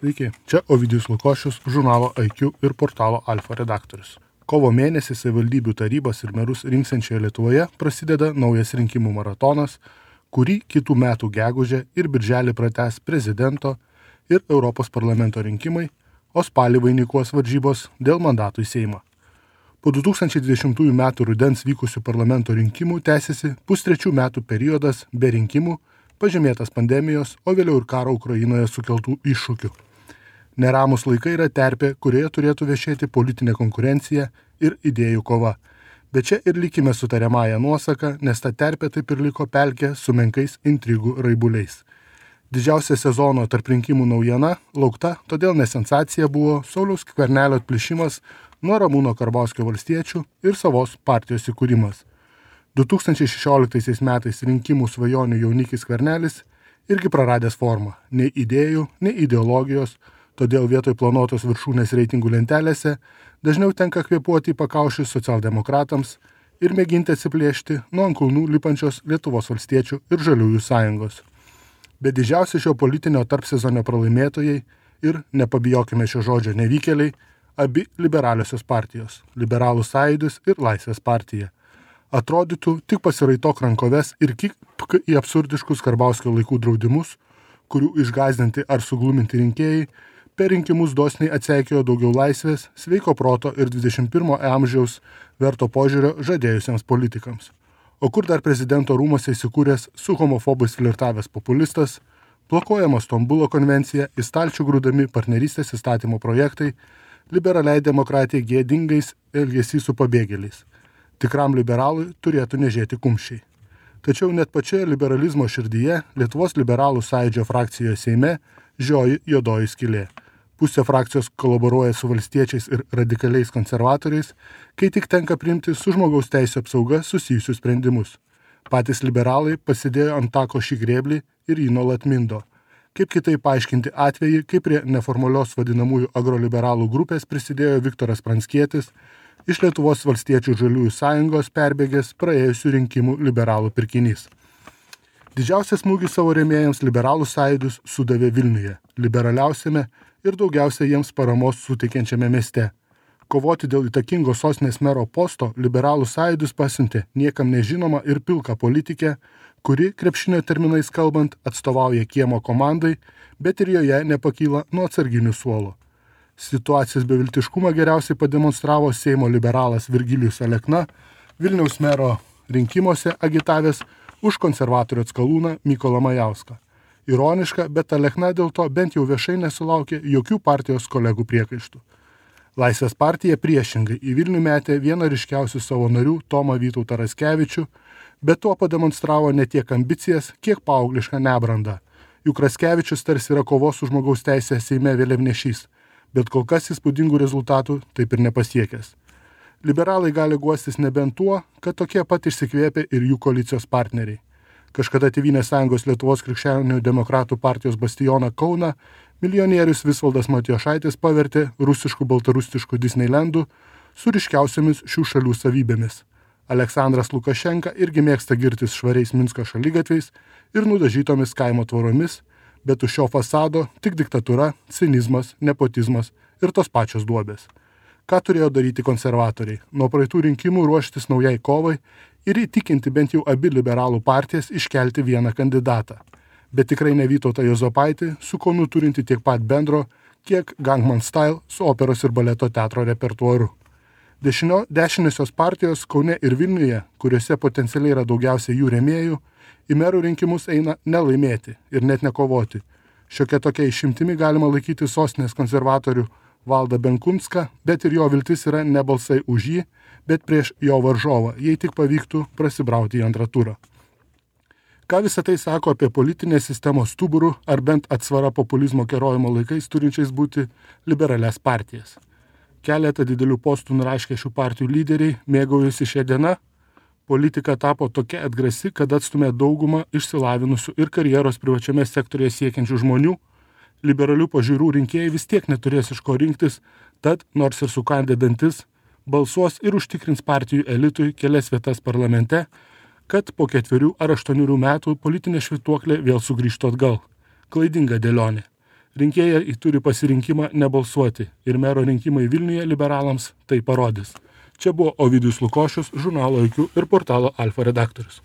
Sveiki, čia Ovidijus Lukošius, žurnalo IQ ir portalo Alfa redaktorius. Kovo mėnesį savivaldybių tarybas ir merus rinksiančioje Lietuvoje prasideda naujas rinkimų maratonas, kurį kitų metų gegužę ir birželį pratęs prezidento ir Europos parlamento rinkimai, o spalį vainikuos varžybos dėl mandatų į Seimą. Po 2020 metų rudens vykusių parlamento rinkimų tęsiasi pustrečių metų periodas be rinkimų, pažymėtas pandemijos, o vėliau ir karo Ukrainoje sukeltų iššūkių. Neramus laikai yra terpė, kurioje turėtų viešėti politinė konkurencija ir idėjų kova. Bet čia ir likime su tariamąja nuosaka, nes ta terpė taip ir liko pelkė su menkais intrigų raibuliais. Didžiausia sezono tarp rinkimų naujiena laukta, todėl ne sensacija buvo Sauliaus Skvernelio atplišimas nuo Ramūno Karbauskio valstiečių ir savos partijos įkūrimas. 2016 metais rinkimų svajonių jaunikis Skvernelis irgi praradęs formą, nei idėjų, nei ideologijos, todėl vietoj planuotos viršūnės reitingų lentelėse dažniau tenka kvėpuoti į pakaušius socialdemokratams ir mėginti atsiplėšti nuo ant kulnų lipančios Lietuvos valstiečių ir Žaliųjų sąjungos. Bet didžiausi šio politinio tarpsezonio pralaimėtojai ir, nepabijokime šio žodžio, nevykėliai, abi liberaliosios partijos – Liberalų sąjūdis ir Laisvės partija. Atrodytų, tik pasiraitok rankoves ir kibk į absurdiškus Karbauskio laikų draudimus, kurių išgąsdinti ar sugluminti rinkėjai per rinkimus dosniai atseikėjo daugiau laisvės, sveiko proto ir 21 amžiaus verto požiūrio žadėjusiems politikams. O kur dar prezidento rūmose įsikūręs su homofobais flirtavęs populistas, blokuojama Stambulo konvencija, į stalčių grūdami partnerystės įstatymo projektai, liberaliai demokratijai gėdingais elgesys su pabėgėliais. Tikram liberalui turėtų nežėti kumščiai. Tačiau net pačioje liberalizmo širdyje Lietuvos liberalų sąjūdžio frakcijoje Seime žioji juodoji skylė. Pusė frakcijos kolaboruoja su valstiečiais ir radikaliais konservatoriais, kai tik tenka priimti su žmogaus teisų apsauga susijusius sprendimus. Patys liberalai pasidėjo ant tako šį grėblį ir jį nuolat mindo. Kaip kitaip paaiškinti atvejį, kai prie neformalios vadinamųjų agroliberalų grupės prisidėjo Viktoras Pranckietis, iš Lietuvos valstiečių Žaliųjų sąjungos perbėgęs praėjusių rinkimų liberalų pirkinys. Didžiausias smūgis savo rėmėjams liberalų sąjūdis sudavė Vilniuje, liberaliausiame ir daugiausia jiems paramos suteikiančiame mieste. Kovoti dėl įtakingo sostinės mero posto liberalų sąjūdis pasiuntė niekam nežinomą ir pilką politikę, kuri, krepšinio terminais kalbant, atstovauja kiemo komandai, bet ir joje nepakyla nuo atsarginių suolo. Situacijos beviltiškumą geriausiai pademonstravo Seimo liberalas Virgilijus Alekna, Vilniaus mero rinkimuose agitavęs už konservatorių atskalūną Mykolą Majauską. Ironiška, bet Alekna dėl to bent jau viešai nesulaukė jokių partijos kolegų priekaištų. Laisvės partija priešingai į Vilnių metė vieną ryškiausių savo narių Tomą Vytautą Raskevičių, bet tuo pademonstravo ne tiek ambicijas, kiek paauglišką nebrandą. Juk Raskevičius tarsi yra kovos už žmogaus teisę Seime vėliavnešys, bet kol kas įspūdingų rezultatų taip ir nepasiekęs. Liberalai gali guostis nebent tuo, kad tokie pat išsikvėpė ir jų koalicijos partneriai. Kažkada Tėvynės sąjungos Lietuvos krikščionių demokratų partijos bastioną Kauną milijonierius Visvaldas Matijošaitis pavertė rusišku-baltarusišku Disneylandu su ryškiausiamis šių šalių savybėmis. Aleksandras Lukašenka irgi mėgsta girtis švariais Minsko šaligatviais ir nudažytomis kaimo tvoromis, bet už šio fasado tik diktatūra, cinizmas, nepotizmas ir tos pačios duobės. Ką turėjo daryti konservatoriai? Nuo praeitų rinkimų ruoštis naujai kovai ir įtikinti bent jau abi liberalų partijas iškelti vieną kandidatą. Bet tikrai ne Vytautą Juozapaitį, su Kaunu turinti tiek pat bendro, kiek Gangnam Style su operos ir baleto teatro repertuaru. Dešiniosios partijos Kaune ir Vilniuje, kuriuose potencialiai yra daugiausiai jų rėmėjų, į merų rinkimus eina nelaimėti ir net nekovoti. Šiokia tokia išimtimi galima laikyti sostinės konservatorių Valdą Benkunską, bet ir jo viltis yra ne balsai už jį, bet prieš jo varžovą, jei tik pavyktų prasibrauti į antrą turą. Ką visą tai sako apie politinės sistemos stuburų ar bent atsvara populizmo kerojimo laikais turinčiais būti liberalias partijas? Keletą didelių postų nuraškę šių partijų lyderiai mėgaujasi šią dieną. Politika tapo tokia atgrasi, kad atstumė daugumą išsilavinusių ir karjeros privačiame sektorėje siekiančių žmonių. Liberalių pažiūrų rinkėjai vis tiek neturės iš ko rinktis, tad, nors ir sukandę dantis, balsuos ir užtikrins partijų elitui kelias vietas parlamente, kad po 4 ar 8 metų politinė švytuoklė vėl sugrįžtų atgal. Klaidinga dėlionė. Rinkėjai turi pasirinkimą nebalsuoti ir mero rinkimai Vilniuje liberalams tai parodys. Čia buvo Ovidijus Lukošius, žurnalo IQ ir portalo Alfa redaktorius.